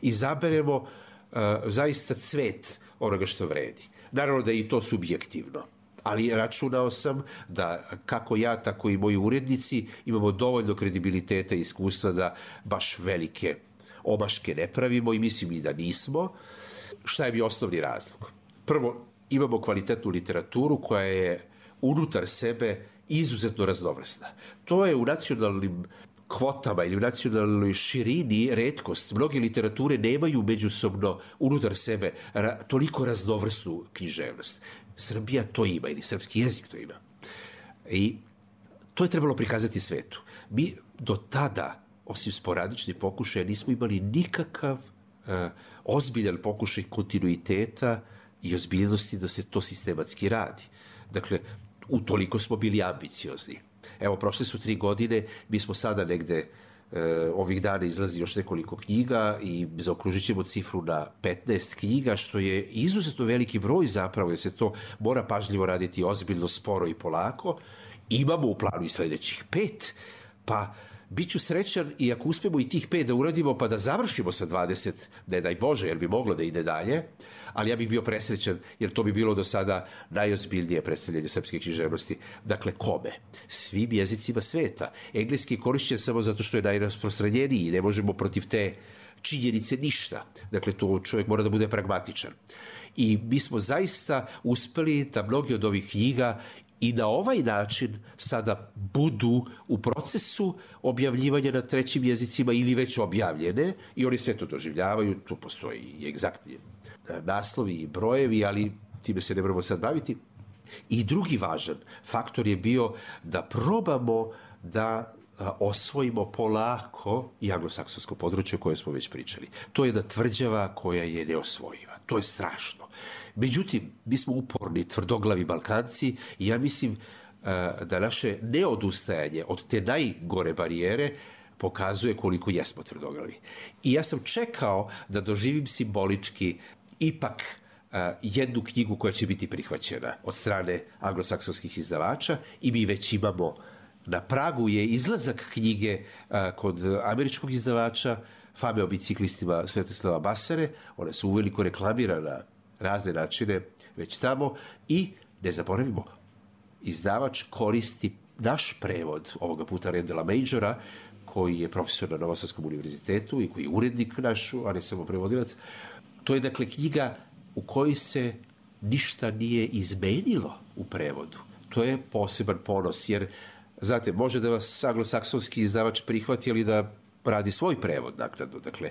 izaberemo uh, zaista cvet onoga što vredi. Naravno da je i to subjektivno, ali računao sam da kako ja, tako i moji urednici imamo dovoljno kredibiliteta i iskustva da baš velike omaške ne pravimo i mislim i da nismo. Šta je bio osnovni razlog? Prvo, imamo kvalitetnu literaturu koja je unutar sebe izuzetno raznovrsna. To je u nacionalnim kvotama ili u nacionalnoj širini retkost. Mnoge literature nemaju međusobno unutar sebe ra, toliko raznovrsnu književnost. Srbija to ima ili srpski jezik to ima. I to je trebalo prikazati svetu. Mi do tada, osim sporadičnih pokušaja, nismo imali nikakav uh, ozbiljan pokušaj kontinuiteta i ozbiljnosti da se to sistematski radi. Dakle, utoliko smo bili ambiciozni. Evo, prošle su tri godine, mi smo sada negde e, ovih dana izlazi još nekoliko knjiga i zaokružit ćemo cifru na petnaest knjiga, što je izuzetno veliki broj zapravo, jer se to mora pažljivo raditi ozbiljno, sporo i polako. Imamo u planu i sledećih pet, pa Biću srećan i ako uspemo i tih pet da uradimo pa da završimo sa dvadeset, ne daj Bože, jer bi moglo da ide dalje, ali ja bih bio presrećan jer to bi bilo do sada najozbiljnije predstavljanje srpske književnosti. Dakle, kome? Svim jezicima sveta. Engleski je korišćen samo zato što je najrasprostranjeniji i ne možemo protiv te činjenice ništa. Dakle, to čovjek mora da bude pragmatičan. I mi smo zaista uspeli da mnogi od ovih knjiga i na ovaj način sada budu u procesu objavljivanja na trećim jezicima ili već objavljene i oni sve to doživljavaju, tu postoji i egzaktni naslovi i brojevi, ali time se ne moramo sad baviti. I drugi važan faktor je bio da probamo da osvojimo polako i anglosaksonsko područje o kojem smo već pričali. To je jedna tvrđava koja je neosvojiva. To je strašno. Međutim, mi smo uporni, tvrdoglavi Balkanci i ja mislim da naše neodustajanje od te najgore barijere pokazuje koliko jesmo tvrdoglavi. I ja sam čekao da doživim simbolički ipak jednu knjigu koja će biti prihvaćena od strane anglosaksonskih izdavača i mi već imamo, na pragu je izlazak knjige kod američkog izdavača Fame o biciklistima Svetislava Basare. One su uveliko reklamirane na razne načine već tamo i ne zaboravimo, izdavač koristi naš prevod ovoga puta Rendela Majora, koji je profesor na Novosadskom univerzitetu i koji je urednik naš, a ne samo prevodilac. To je dakle knjiga u kojoj se ništa nije izmenilo u prevodu. To je poseban ponos, jer znate, može da vas anglosaksonski izdavač prihvati, ali da radi svoj prevod naknadno, dakle,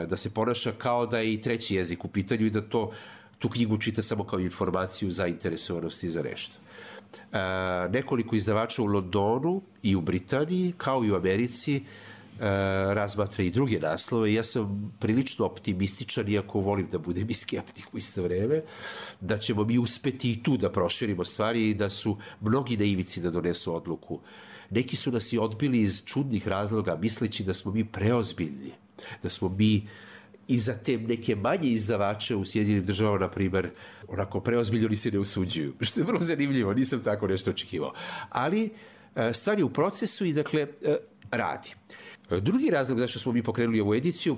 da se ponaša kao da je i treći jezik u pitanju i da to, tu knjigu čita samo kao informaciju zainteresovanosti za nešto. E, nekoliko izdavača u Londonu i u Britaniji, kao i u Americi, e, razmatra i druge naslove. Ja sam prilično optimističan, iako volim da budem i skeptik u isto vreme, da ćemo mi uspeti i tu da proširimo stvari i da su mnogi na ivici da donesu odluku. Neki su nas i odbili iz čudnih razloga, misleći da smo mi preozbiljni, da smo mi i za te neke manje izdavače u Sjedinjenim državama, na primer, onako preozbiljni, oni se ne usuđuju, što je vrlo zanimljivo, nisam tako nešto očekivao. Ali stvar je u procesu i, dakle, radi. Drugi razlog zašto smo mi pokrenuli ovu ediciju,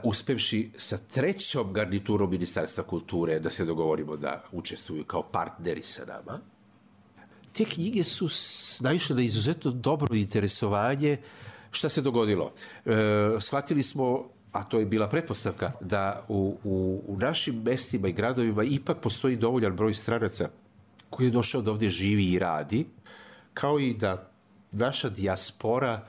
uspevši sa trećom garniturom Ministarstva kulture da se dogovorimo da učestvuju kao partneri sa nama, te knjige su naišle na izuzetno dobro interesovanje. Šta se dogodilo? E, shvatili smo, a to je bila pretpostavka, da u, u, u našim mestima i gradovima ipak postoji dovoljan broj stranaca koji je došao da ovdje živi i radi, kao i da naša dijaspora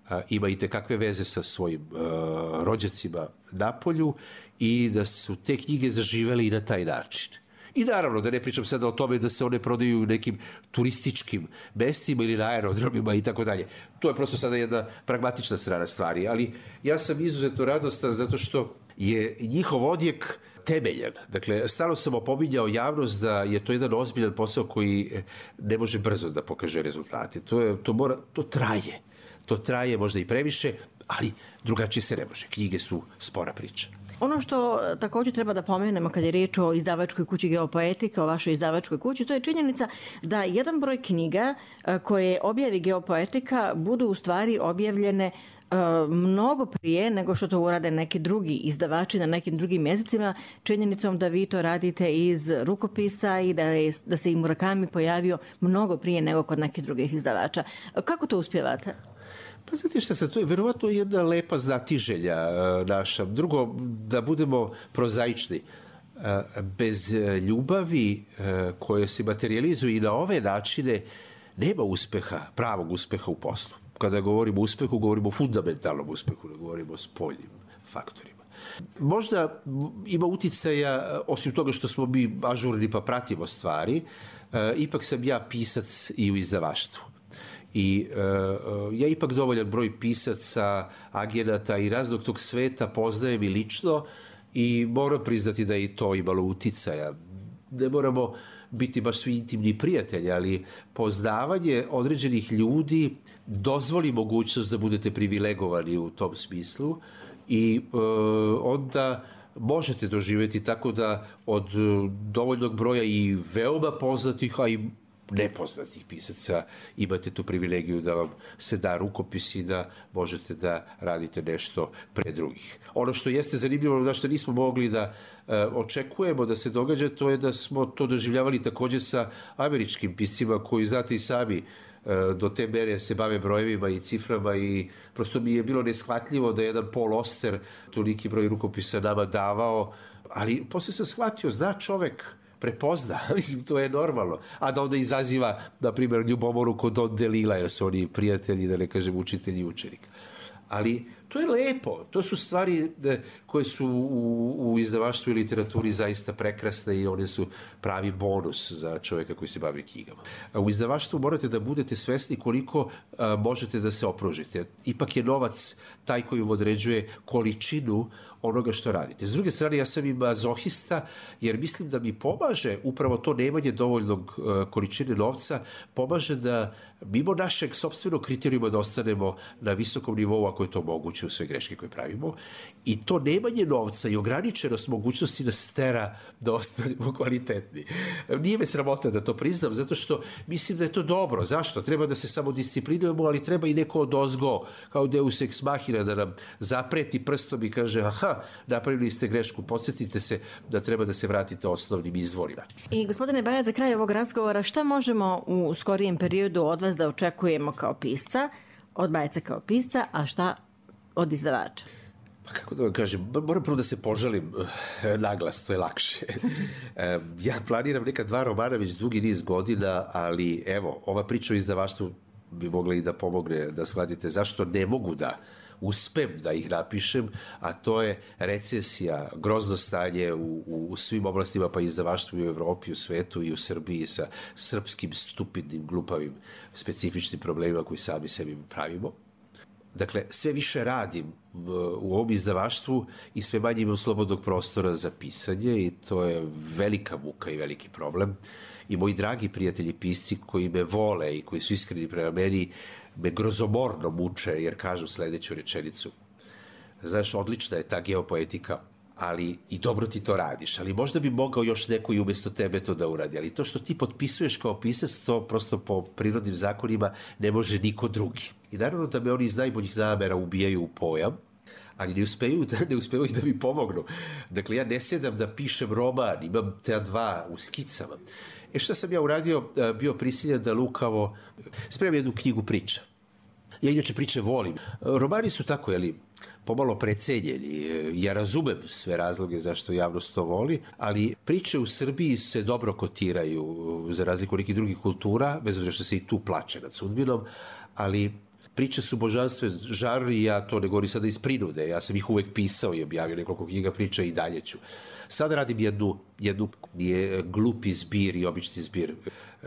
a, ima i tekakve veze sa svojim a, rođacima napolju i da su te knjige zaživele i na taj način. I naravno, da ne pričam sada o tome da se one prodaju u nekim turističkim mestima ili na aerodromima i tako dalje. To je prosto sada jedna pragmatična strana stvari, ali ja sam izuzetno radostan zato što je njihov odjek temeljan. Dakle, stalno sam opominjao javnost da je to jedan ozbiljan posao koji ne može brzo da pokaže rezultate. To, je, to, mora, to traje. To traje možda i previše, ali drugačije se ne može. Knjige su spora priča. Ono što također treba da pomenemo kad je riječ o izdavačkoj kući Geopoetika, o vašoj izdavačkoj kući, to je činjenica da jedan broj knjiga koje objavi Geopoetika budu u stvari objavljene mnogo prije nego što to urade neki drugi izdavači na nekim drugim jezicima, činjenicom da vi to radite iz rukopisa i da, je, da se i Murakami pojavio mnogo prije nego kod nekih drugih izdavača. Kako to uspjevate? Pa znate šta se, to je verovatno jedna lepa znatiželja naša. Drugo, da budemo prozaični. Bez ljubavi koja se materializuje i na ove načine nema uspeha, pravog uspeha u poslu. Kada govorimo o uspehu, govorimo o fundamentalnom uspehu, ne govorimo o spoljnim faktorima. Možda ima uticaja, osim toga što smo mi ažurni pa pratimo stvari, ipak sam ja pisac i u izdavaštvu. I uh, ja ipak dovoljan broj pisaca, agenata i raznog tog sveta poznajem i lično i moram priznati da je i to imalo uticaja. Ne moramo biti baš svi intimni prijatelji, ali poznavanje određenih ljudi dozvoli mogućnost da budete privilegovani u tom smislu i uh, onda možete doživjeti tako da od dovoljnog broja i veoma poznatih, a i nepoznatih pisaca imate tu privilegiju da vam se da rukopis i da možete da radite nešto pre drugih. Ono što jeste zanimljivo, na što nismo mogli da e, očekujemo da se događa, to je da smo to doživljavali takođe sa američkim piscima koji, znate i sami, do te mere se bave brojevima i ciframa i prosto mi je bilo neshvatljivo da je jedan Paul Auster toliki broj rukopisa nama davao, ali posle sam shvatio, zna čovek, prepozna, mislim, to je normalno, a da onda izaziva, na primjer, ljubomoru kod Don DeLilla, jer su oni prijatelji, da ne kažem, učitelji i učenik. Ali to je lepo, to su stvari koje su u, u izdavaštvu i literaturi zaista prekrasne i one su pravi bonus za čoveka koji se bavi knjigama. U izdavaštvu morate da budete svesni koliko a, možete da se opružite. Ipak je novac taj koji vam određuje količinu onoga što radite. S druge strane, ja sam i mazohista, jer mislim da mi pomaže upravo to nemanje dovoljnog uh, količine novca, pomaže da mimo našeg sopstvenog kriterijuma da ostanemo na visokom nivou, ako je to moguće u sve greške koje pravimo. I to nemanje novca i ograničenost mogućnosti nas tera da ostanemo kvalitetni. Nije me sramota da to priznam, zato što mislim da je to dobro. Zašto? Treba da se samo disciplinujemo, ali treba i neko odozgo, kao Deus ex machina, da nam zapreti prstom i kaže, aha, napravili ste grešku, podsjetite se da treba da se vratite osnovnim izvorima. I gospodine Bajac, za kraj ovog razgovora, šta možemo u skorijem periodu od vas da očekujemo kao pisca, od Bajca kao pisca, a šta od izdavača? Pa kako da vam kažem, moram prvo da se požalim naglas, to je lakše. Ja planiram neka dva romana već dugi niz godina, ali evo, ova priča o izdavaštvu bi mogla i da pomogne da shvatite zašto ne mogu da uspem da ih napišem, a to je recesija, grozno stanje u, u svim oblastima, pa i izdavaštvu i u Evropi, u svetu i u Srbiji sa srpskim stupidnim, glupavim, specifičnim problemima koji sami sebi pravimo. Dakle, sve više radim u ovom izdavaštvu i sve manje imam slobodnog prostora za pisanje i to je velika muka i veliki problem. I moji dragi prijatelji pisci koji me vole i koji su iskreni prema meni me grozomorno muče jer kažu sledeću rečenicu. Znaš, odlična je ta geopoetika, ali i dobro ti to radiš, ali možda bi mogao još neko i umesto tebe to da uradi, ali to što ti potpisuješ kao pisac, to prosto po prirodnim zakonima ne može niko drugi. I naravno da me oni iz najboljih namera ubijaju u pojam, ali ne uspeju, ne uspeju da mi pomognu. Dakle, ja ne sedam da pišem roman, imam te dva u skicama. E šta sam ja uradio? Bio prisiljan da lukavo spremim jednu knjigu priča. Ja inače priče volim. Romani su tako, jeli, pomalo precenjeni. Ja razumem sve razloge zašto javnost to voli, ali priče u Srbiji se dobro kotiraju za razliku nekih drugih kultura, bez obzira što se i tu plače nad sudbinom, ali priče su božanstven žar i ja to ne govorim sada iz prinude. Ja sam ih uvek pisao i objavio nekoliko knjiga priča i dalje ću. Sad radim jednu, jednu nije glupi zbir i obični zbir e,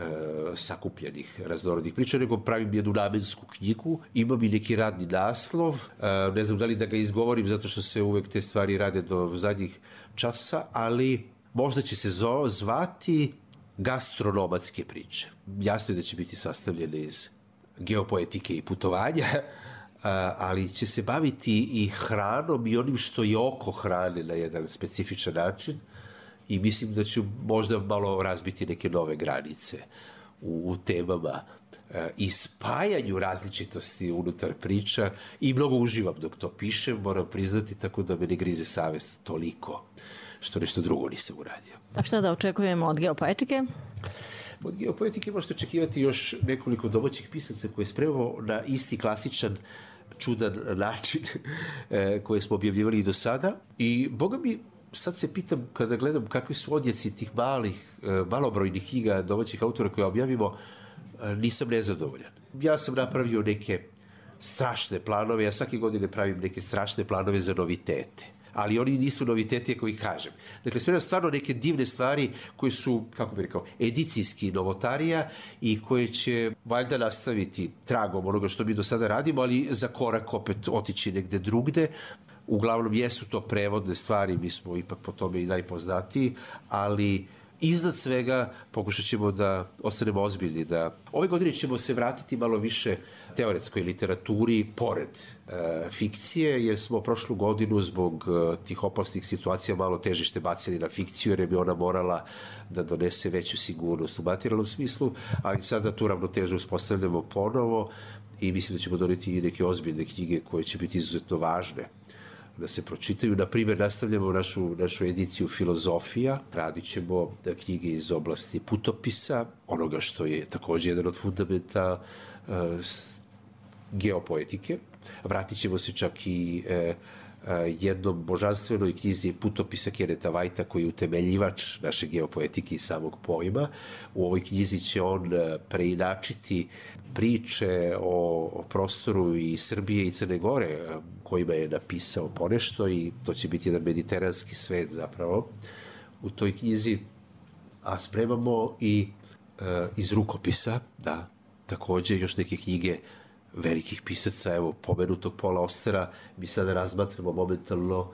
sakupljenih raznorodnih priča, nego pravim jednu namensku knjigu. Imam i neki radni naslov. E, ne znam da li da ga izgovorim zato što se uvek te stvari rade do zadnjih časa, ali možda će se zvati Gastronomatske priče. Jasno je da će biti sastavljene iz geopoetike i putovanja, ali će se baviti i hranom i onim što je oko hrane na jedan specifičan način i mislim da ću možda malo razbiti neke nove granice u, u temama i spajanju različitosti unutar priča i mnogo uživam dok to pišem, moram priznati, tako da me ne grize savest toliko što nešto drugo nisam uradio. A šta da očekujemo od geopoetike? Od geopoetike možete očekivati još nekoliko domaćih pisaca koje je spremao na isti klasičan, čudan način koje smo objavljivali i do sada. I, boga mi, sad se pitam, kada gledam kakvi su odjeci tih malih, malobrojnih knjiga domaćih autora koje objavimo, nisam nezadovoljan. Ja sam napravio neke strašne planove, ja svake godine pravim neke strašne planove za novitete. Ali oni nisu noviteti, ako ih kažem. Dakle, spremam stvarno neke divne stvari koje su, kako bih rekao, edicijski novotarija i koje će valjda nastaviti tragom onoga što mi do sada radimo, ali za korak opet otići negde drugde. Uglavnom, jesu to prevodne stvari, mi smo ipak po tome i najpoznatiji, ali iznad svega pokušat ćemo da ostanemo ozbiljni, da ove godine ćemo se vratiti malo više teoretskoj literaturi pored e, fikcije, jer smo prošlu godinu zbog e, tih opasnih situacija malo težište bacili na fikciju, jer je bi ona morala da donese veću sigurnost u materijalnom smislu, ali sada tu ravnotežu uspostavljamo ponovo i mislim da ćemo doneti i neke ozbiljne knjige koje će biti izuzetno važne da se pročitaju. Na primjer, nastavljamo našu, našu ediciju filozofija, radit ćemo knjige iz oblasti putopisa, onoga što je takođe jedan od fundamenta uh, geopoetike. Vratit ćemo se čak i uh, jednom božanstvenoj knjizi putopisa Keneta Whitea, koji je utemeljivač naše geopoetike i samog pojma. U ovoj knjizi će on preinačiti priče o prostoru i Srbije i Crne Gore, kojima je napisao ponešto, i to će biti jedan mediteranski svet zapravo u toj knjizi. A spremamo i e, iz rukopisa, da, takođe još neke knjige velikih pisaca, evo, pomenutog Paula Austera, mi sada razmatramo momentalno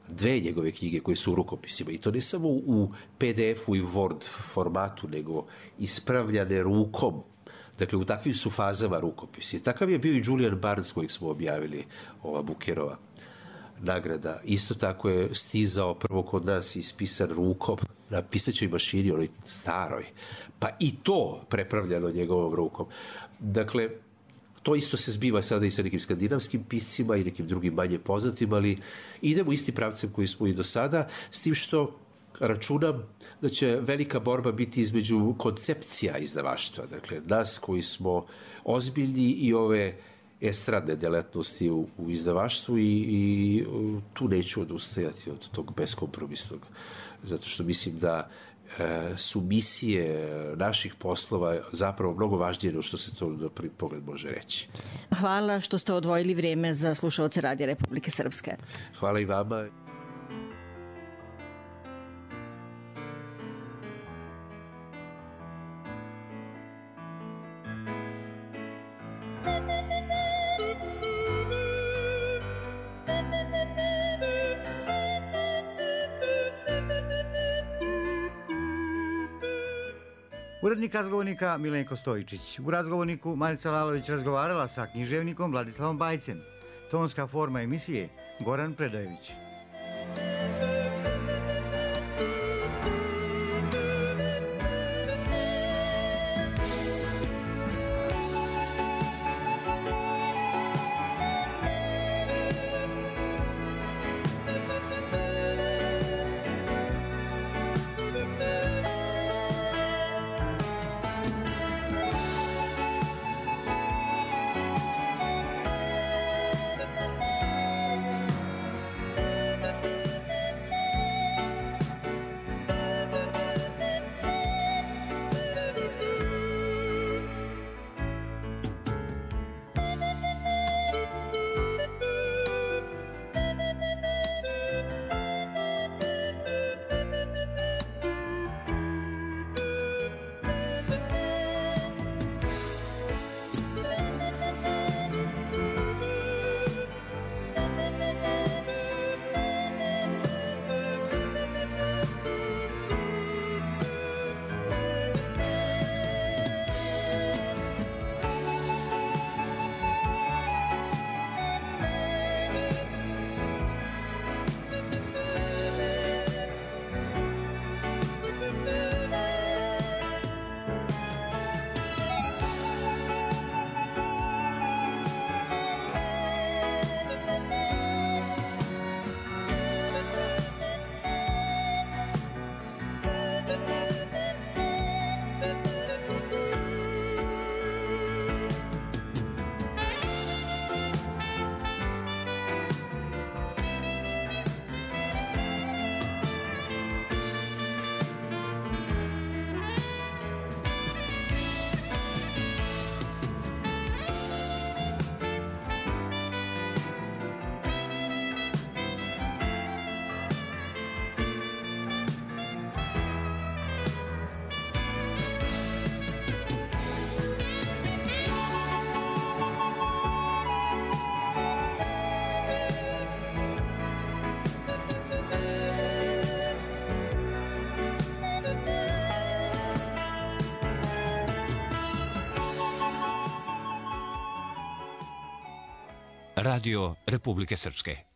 dve njegove knjige koje su u rukopisima, i to ne samo u P D F-u i Word formatu, nego ispravljane rukom. Dakle, u takvim su fazama rukopisi. Takav je bio i Julian Barnes, kojeg smo objavili, ova Bukerova nagrada. Isto tako je stizao prvo kod nas ispisan rukom na pisaćoj mašini, onoj staroj, pa i to prepravljano njegovom rukom. Dakle, to isto se zbiva sada i sa nekim skandinavskim piscima i nekim drugim manje poznatim, ali idemo istim pravcem koji smo i do sada, s tim što računam da će velika borba biti između koncepcija izdavaštva. Dakle, nas koji smo ozbiljni i ove estradne delatnosti u, u izdavaštvu, i, i tu neću odustajati od tog beskompromisnog, zato što mislim da e, su misije naših poslova zapravo mnogo važnije nego što se to na prvi pogled može reći. Hvala što ste odvojili vrijeme za slušaoce Radija Republike Srpske. Hvala i vama. Urednik razgovornika Milenko Stojičić. U razgovorniku Marica Lalović razgovarala sa književnikom Vladislavom Bajcem. Tonska forma emisije Goran Predajević. Radio Republike Srpske.